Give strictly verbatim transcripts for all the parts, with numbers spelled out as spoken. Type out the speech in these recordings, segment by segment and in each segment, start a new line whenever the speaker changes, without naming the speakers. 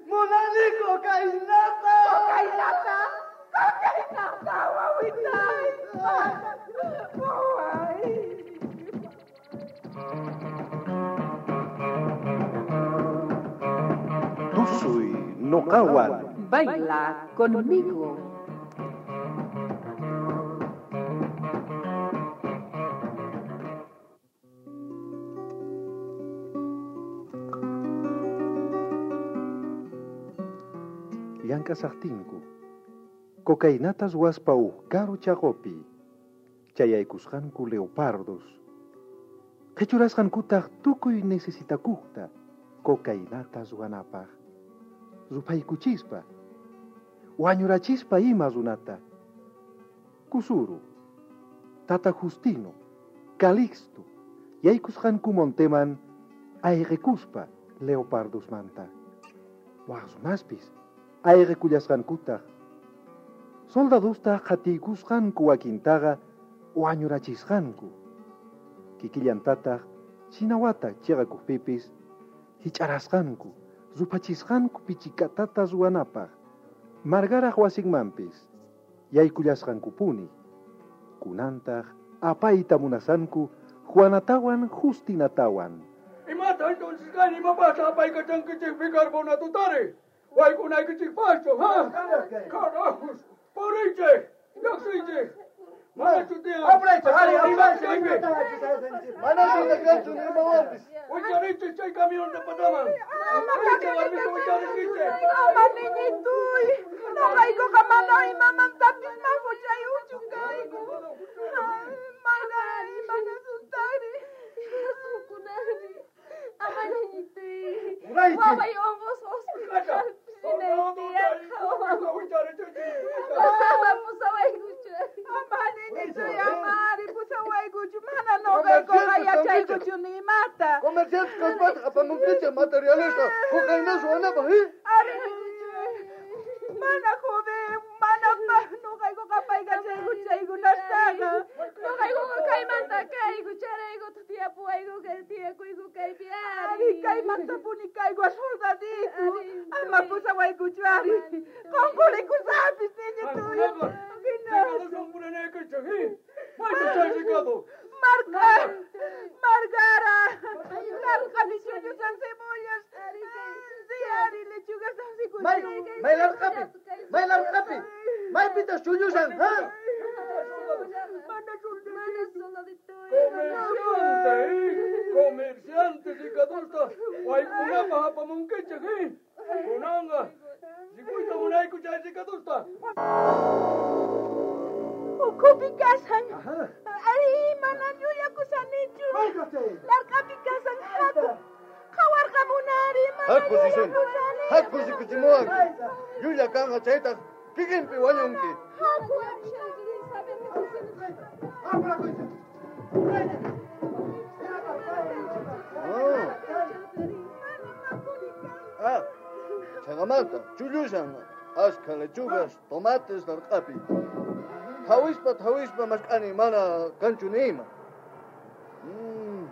Munani cocainata.
Cocainata. Cocainata, wawitay. Waway.
Tusuy noqawan.
Baila conmigo.
Llank'asaqtinku, cocainatas waspa uj karu chaqopi, chayaykusqanku leopardos. Qhichurasqankutaq tukuy necesitakuqta cocainatas ruwanapaq. Rupaykuchispa, wañurachispa ima runata. Kusuru, Tata Justino, Calixto, yaykusqanku monteman ayqikuspa leopardosmanta. Waq runaspis ayqikullasqankutaq. Soldadostaq qhatiykusqanku wakintaqa wañurachisqanku. Kikillantataq chinawata chiqakuqpipis hich'arasqanku, ruphachisqanku pichikatata ruwanapaq. Margaraj wasinmanpis yaykullasqankupuni. Kunantaq apayta munasanku Juanatawan Justinatawan.
Imata entonces kani imapasqa apaykachankichik bicarbonatotari. Waykunaykichikpaschu, ha? Carajos, puriychik, lluqsiychik. Manachu tiyan.
Apuraychik, ari, apuraychik. Manachu kanchu nimawanpis.
Wicharichik chay camionta pataman. Puriychik, warmita wicharikichik.
Ama niñituy. Noqaykuqa mana imamantapis majuchayuchu kayku. Margari, mana suntari.
Imasunkunari. Ama niñituy.
Puraychik.
Waway onqos hospitalpi rinay Ama pusawaykuchu.
Ama niñituy, ama ari pusawaykuchu. Mana noqaykuqa yachaykuchu ni imata.
Comerciantes kaspataq apamunkichik materialesta cocaína ruwanapaq, eh?
Ari niñituy. Mana joven, mana noqaykuqa apaykachayku chaykunastaqa.
Noqaykuqa kaymanta kayku, charaykutaq tiyapuwayku kay tiyakuyku kaypi ari.
Ari kaymantapuni kayku soldadito. Ama pusawaykuchu ari. Qonqurikusapis niñituy. Marga, Margara, larqani chullusan cebollas. Sí, ari lechugas
May, may larqapi, may larqapi. Maypitas chullusan, ha?
Mana
Comerciante, eh? Comerciante, ricadosta. Waykunapaq apamunkichik, eh? Kunanqa, rikuyta munayku chay ricadosta.
Ukhupi kasan. Ari, mana llullakusanichu. Larqapi kasan haku. Qhawarqamunari, mana
Haku risun.
llullakusani.
Haku rikuchimuwanki. Llulla kanqa chaytaq kikinpi wañunki.
Haku.
Ah. Ah, chaqamanta chullusan ashka lechugas, tomates larqapi. Thawispa thawispa mask'ani mana kanchu ni ima. Mm.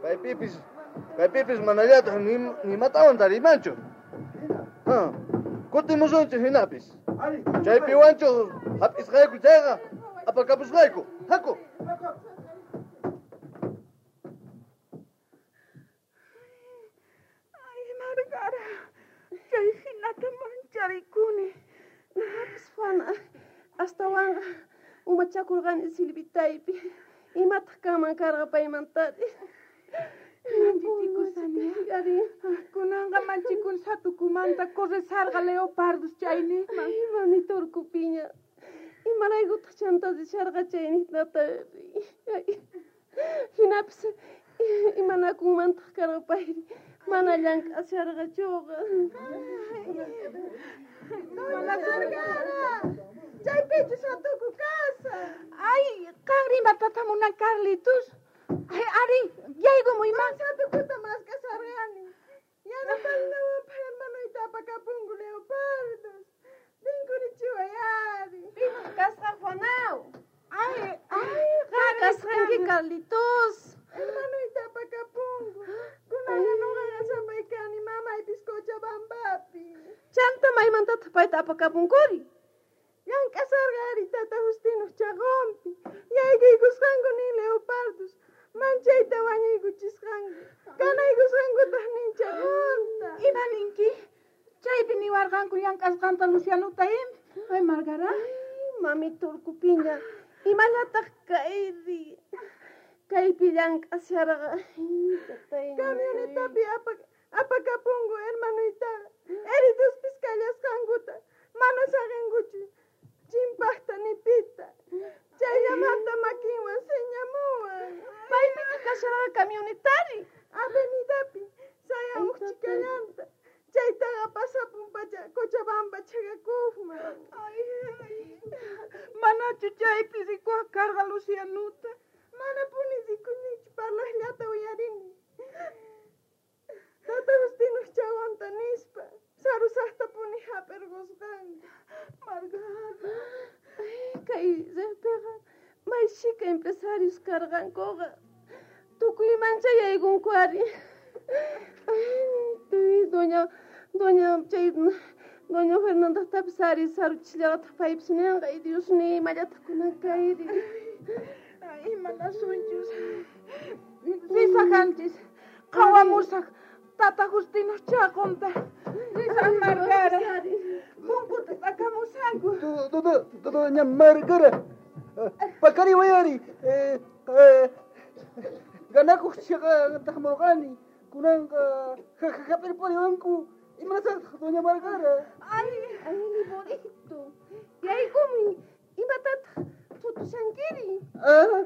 Kaypipis kaypipis manallataq ni nimatawan tarimanchu. Ha. Kutimusunchik hinapis. Chaypiwanchu hap'isqayku chayqa apakapusqayku. Haku.
Ay, Margara, chay hinata mancharikuni.
Noqapis Juana, astawanqa umachakurqani Silvitaypi. Imataq kanman karqa paymantari.
Manchichikusani.
Ari.
Kunanqa manchikun satukumanta corresarqa leopardos chayniqman.
Ay, mamita urkupiña. Imaraykutaq chanta risharqa chayniqtata. Ay, hinapis imanakunmantaq karqa payri. Mana llank'asharqachuqa.
Margara, chaypichu satuku kasan. Ay, qanri imatata munan Carlitos. Ay, ari, yaykumuy ma. Satukuta mask'asharqani. Yanapaynawanpaq hermanoyta apakapunku leopardos. Rinkurichiway ari.
Pitaq kasqa Juanao?
Ay, ay,
Qan kasqanki Carlitos.
Hermanoyta apakapunku. Kunanqa noqaqa sapay kani mamaypis Cochabamba.
Maymantataq payta apakapunkuri?
Llank'asarqa ari tata Justinoq chaqonpi. Yaykuykusqanku nin leopardos. Manchayta wañuykuchisqanku. Kanaykusqankutaq nin chaqonta.
Ima ninki? Chaypi niwarqanku llank'asqanta Lucianuta im. Ay, Margara.
Ay, mami turkupiña. Imallataq kayri. Kaypi llank'asharqa.
Camionetapi apak apakapunku hermanuytaqa. Heridospis kallasqankuta. Mana saqinkuchu. Chimpaqta ni pita. Chayllamanta makinwan señamuwan.
Maypichu kasharqa camionetari?
Avenidapi sayamuq chikallanta. Chaytaqa pasapun pacha Cochabamba chhaqakuqman.
Ay, ay. Manachu chaypi rikuaq karqa Lucianuta?
Manapuni rikunichu, parlaqllata uyarini. Tata Justinoq chaqonta nispa sarusaqtapuni hap'irqusqanku.
Margara.
Ay, kay riqpiqa may chhika empresarios karqankuqa. Tukuy manchayaykunku ari. Ay, doña, doña, chay, doña Fernandatapis ari saruchillataq paypis ninqa. Ay, Dios ni imallataq kunan kayri.
Ay, imanasunchus. Risajanchis. Qhawamusaq tata Justinoq chaqonta. Risaq Margara. Punkuta t'akamusayku.
Doña Margara. Paqariway ari. Eh, eh, ganakuq chhiqantaq murqani. Kunanqa hap'irpariwanku. Imanasaqtaq doña Margara?
Ay,
ay, Liborito. Yaykumuy. Imatataq thutushankiri?
Ah,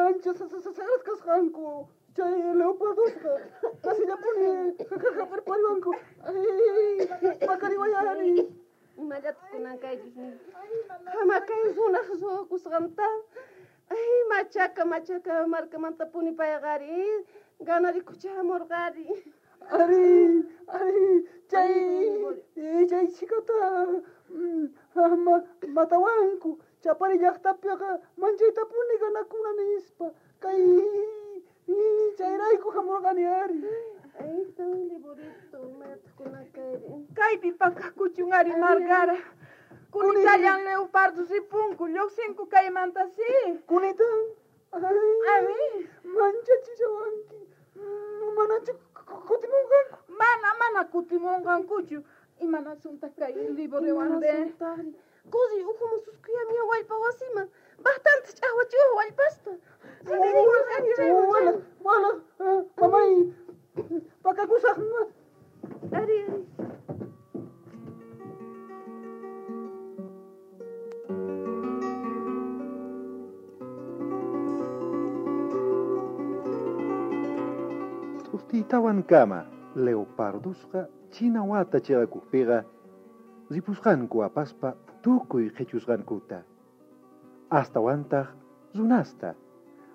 ancha saras kasqanku. Chay leopardosqa kasillapuni hap'irpariwanku. Ay, paqariway ari.
Imallataq kunan kaychus ni. Hamakay runaq ruwakusqanta. Ay, machaka, machaka markamantapuni payqa ari. Ganarikucha hamurqari.
Ari, ari, chay, chay chhikata matawanku. Chapari llaqtapiqa manchaytapuni ganakuna nispa. Kay chayrayku hamurqani ari.
Ay, tan Liborito, imallataq kunan kayri.
Kaypi pakakuchun ari Margara. Kunitallan leopardos ripunku, lluqsinku kaymanta si.
Kunitan? Ay,
Ari.
manchachishawanki. Manachu kutimunqanku?
Mana, mana kutimunqankuchu. Imanasuntaq kay Liboriwan de?
Kusi ukhuman suskuyamiya wallpa wasiman. Bastante ch'aqwachiwaq wallpasta.
Wala, wala, mamay, pakakusaq.
Ari, ari.
T'urtiytawan kama leopardusqa china wata chhiqakuqpiqa ripusqanku apaspa tukuy qhichusqankuta. Astawantaq runasta,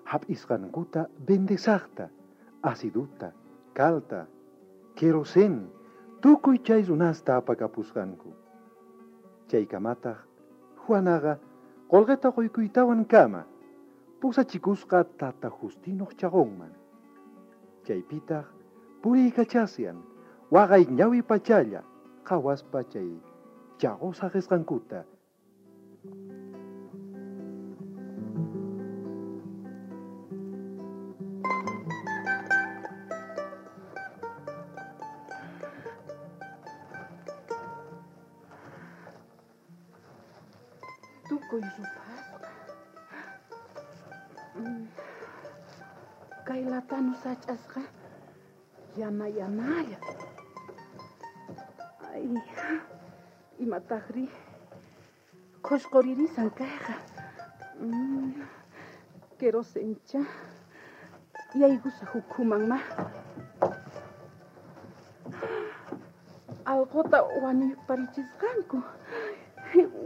hap'isqankuta vendesaqta, aciduta, calta, querosén, tukuy chay runasta apakapusqanku. Chaykamataq Juanaqa qolqeta quykuytawan kama pusachikusqa tata Justinoq chaqonman. Chaypitaq puriykachasyan waqay ñawi pachalla qhawaspa chay chaqo saqisqankuta.
Tukuy rupasqa. Kay latanu sach'asqa yana yanalla. Ay, imataqri qhusquririsan kayqa. Querosencha yaykusaq ukhuman ma. Allquta wañuyparichisqanku.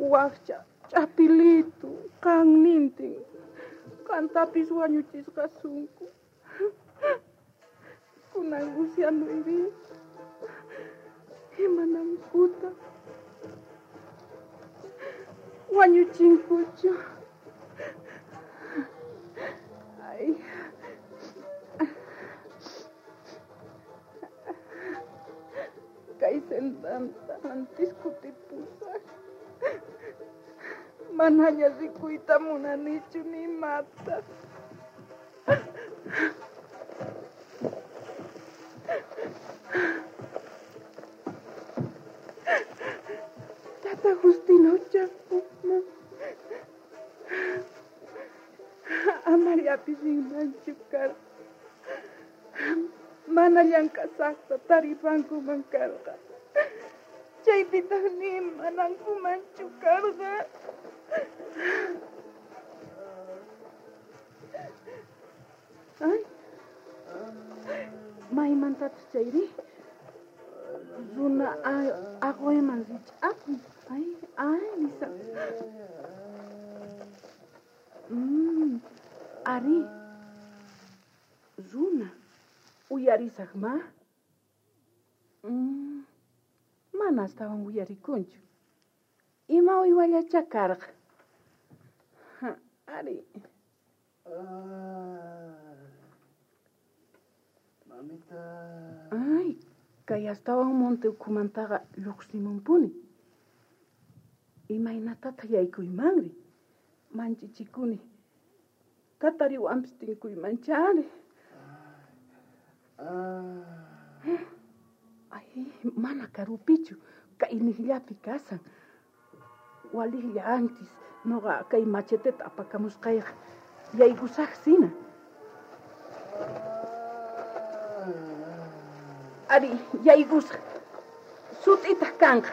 Waqcha ch'apilitu qannintin qantapis wañuchisqasunku. Kunan Lucianuyri imanankuta wañuchinkuchu. Ay.
Kay sendanta antis kutipusaj. Manaña rikuyta munanichu ni imata. Tata Justino chakukman. Amariapis rinmanchu karqa. Mana llank'asaqta taripankuman karqa. Chaypitaq ni manankumanchu karqa. Ay, maymantataq chayri? Runa aqwayman rich'akun. Ay, ay, nisa. Mm, ari, runa, uyarisaq ma? Mm, mana astawan uyarikunchu. Ima uywallacha karqa. Ari.
Mamita.
Ay, kay astawan monte ukhumantaqa lluqsimunpuni. Imaynatataq yaykuymanri? Manchichikuni. Katariwanpis tinkuymanchari. Ay, mana karupichu, kay niqllapi kasan. Waliqlla antis, noqa kay macheteta apakamusqayqa. Yaykusaq sina. Ari, yaykusaq. Sut'itaq kanqa.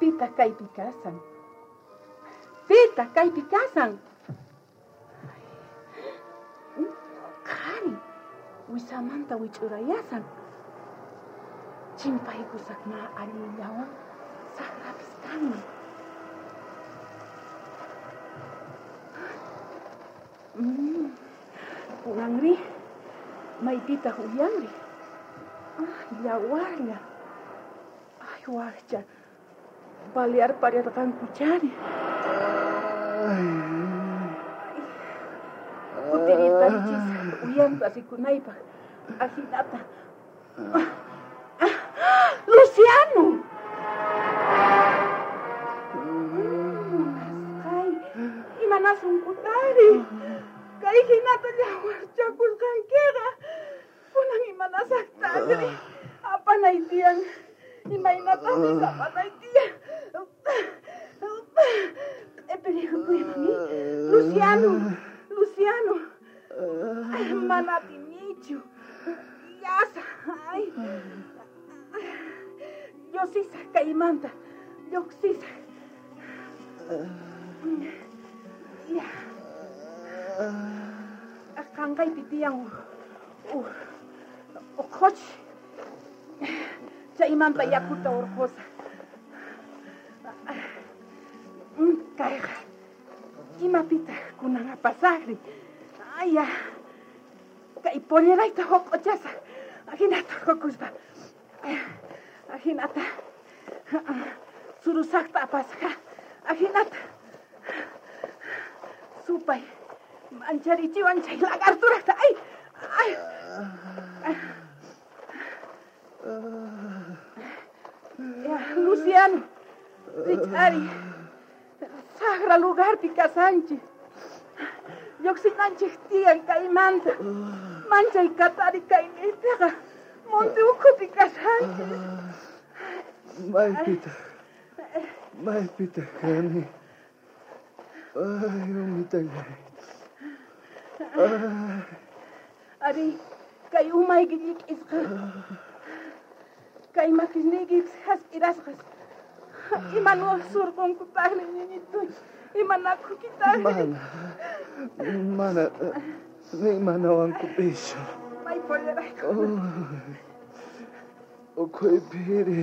Pita kaypi kasan. Pita kaypi kasan. Qhari, wisamanta wich'urayasan. Chimpaykusaq ma allillawan saqrapis kanman. Mm, kunanri, maypitaq uyanri? Ay, yawarlla. Ay, waqcha. Balear parirqankuchari. Kutiriparichis uyanta rikunaypaq. Ajinata. ¡Luciano! Munasqay, imanasunkutari. Kay hinata llawarchakusqankiqa. Kunan imanasaqtaqri. Apanay tiyan. Imaynatapis apanay tiyan. Q'ipirikuyman, Luciano, Luciano. Mana atinichu. Llasa, ay. Lluqsisaq kaymanta. Lluqsisaq. Ya. Qanqaypi tiyan uj uqhuchi. Chaymanta yakuta urqusaq. Kayqa imapitaq kunan apasaqri? Ay, ya. Kay pollerayta huq'uchasaq. Ajinata urqukuspa. Ajinata surusaqta apasaq. Ajinata supay mancharichiwan chay lagarturaqta. Ay, ay. Ya, Luciano, rich'ari. Saqra lugarpi kasanchik. Lluqsinanchik tiyan kaymanta. Manchay katari kayniypiqa monte ukhupi kasanchik.
Maypitaq, maypitaq kani. Ay, umitallay. Ay.
Ari, kay umayki llik'isqa. Kay makisniykipis hasp'irasqas. Imanuwaq surqunkutaqri, ñiñituy. Imanakukitaqri.
Mana, mana, ni imanawankupischu.
May pollerayku.
Ukhuypiri.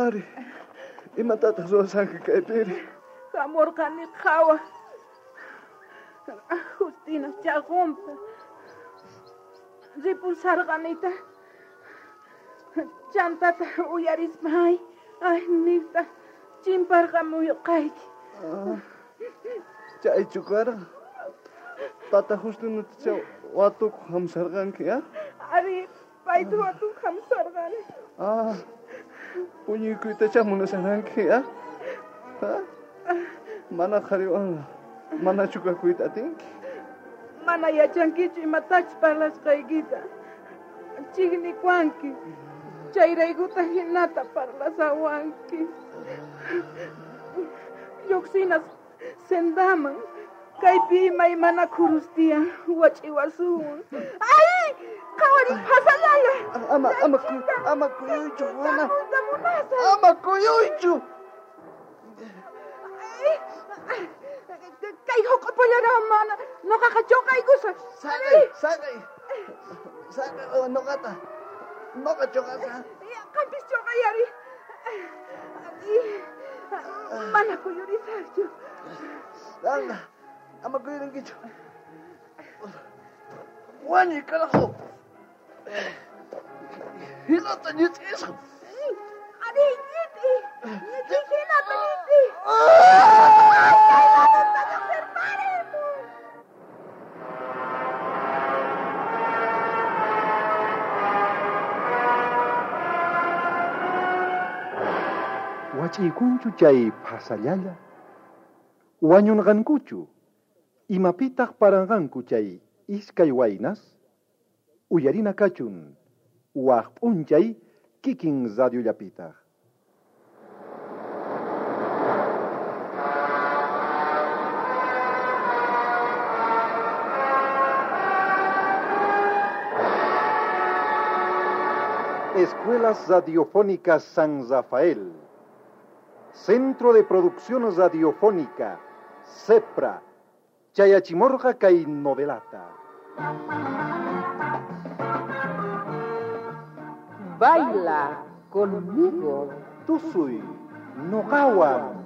Ari, imatataq ruwasanki kaypiri?
Hamurqani qhawaq. Justina chaqunta. Ripusarqanita. Chantata uyarispa ay, ay niqta chimparqamuyqayki.
Chaychu karqa. Tata Justinutacha watukuq hamusarqanki, ah?
Ari, payta watukuq hamusarqani.
Ah, puñuykuytacha munasharqanki, ah? Ah? Mana qhariwan manachu kakuyta atinki?
Mana yachankichu imatachus parlasqaykita. Chiqnikuwanki. Chayraykuta hinata parlasawanki. Lluqsinas sendaman. Kaypi imaymana khurus tiyan wach'iwasuwan. ¡Ay! ¡Qhawariy phasallala!
Ama, ama, ama kuyuychu, Juana.
Munasaq.
Ama kuyuychu.
Kay huq'upullara mana noqaqa chuqaykusaq.
Saqay, saqay. Saqay noqata. Noqa chuqasaq.
Qampis chuqay ari. Mana kuyurisaqchu.
Anda, ama kuyurinkichu. Wañuy carajo. Hinata ñit'isqa.
Ari, ñit'i. Ñit'i hinata ñit'i.
Wach'iykunchu chay phasallalla? Wañunqankuchu? Imapitaq paranqanku chay iskay waynas? Uyarina kachun, waq p'unchay kikin radiollapitaq. Escuelas Radiofónicas San Rafael, Centro de Producción Radiofónica, CEPRA, Chayachimorja kay novelata.
Baila conmigo.
Tusuy, noqawan.